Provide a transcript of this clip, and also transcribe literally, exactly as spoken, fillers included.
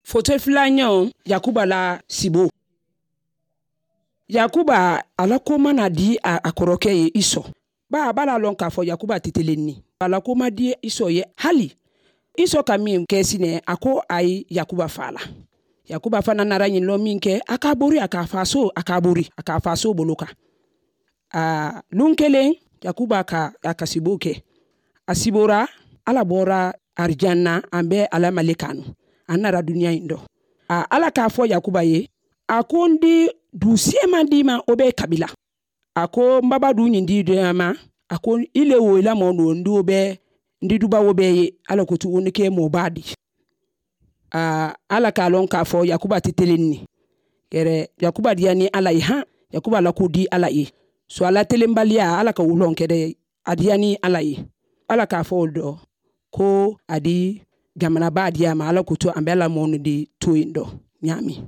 Foto filañaŋo, yakuba la siboo. Yakuba, a la koomaa na dii a koroke ye isɔ. Baa a be a la a loŋ ka a fo yakuba te teleŋ ni a la koomaa dii isɔ ye hali isɔ ka meŋ ke si ne a ko a ye yakuba faa la. Yakuba fanaa nara ñiŋ loŋ meŋ ke a ka a bori a ka a faasoo a ka a bori a ka a faasoo bolo kaŋ. Luŋ keleŋ, yakuba ka a ka siboo ke. A siboora, alla boora arijanna a be a la malekaa nuŋ. A nara duniyaa ñiŋ do. Alla ka a fo yakuba ye, a ko n dii duu seemaŋ dii ma wo be i kabila. A ko m baba duu ñiŋ dii dii ma. A ko i le wo i la moo nuŋ n dii wo be n dii duba wo be i ye. Alla ko tuŋ wo ni ke moo baa dii. Alla ka a loŋ ka a fo yakuba te teleŋ ne. Yere yakuba diyaani alla ye haŋ. Yakuba la kuu dii alla ye. So alla teleŋ baliyaa alla ka wo loŋ kede. A diyaani alla ye. Alla ka a fo wo le do ko a dii jamana baa diyaa ma alla kutu a be alla moonu dii tuuyiŋ do. Ñaameŋ.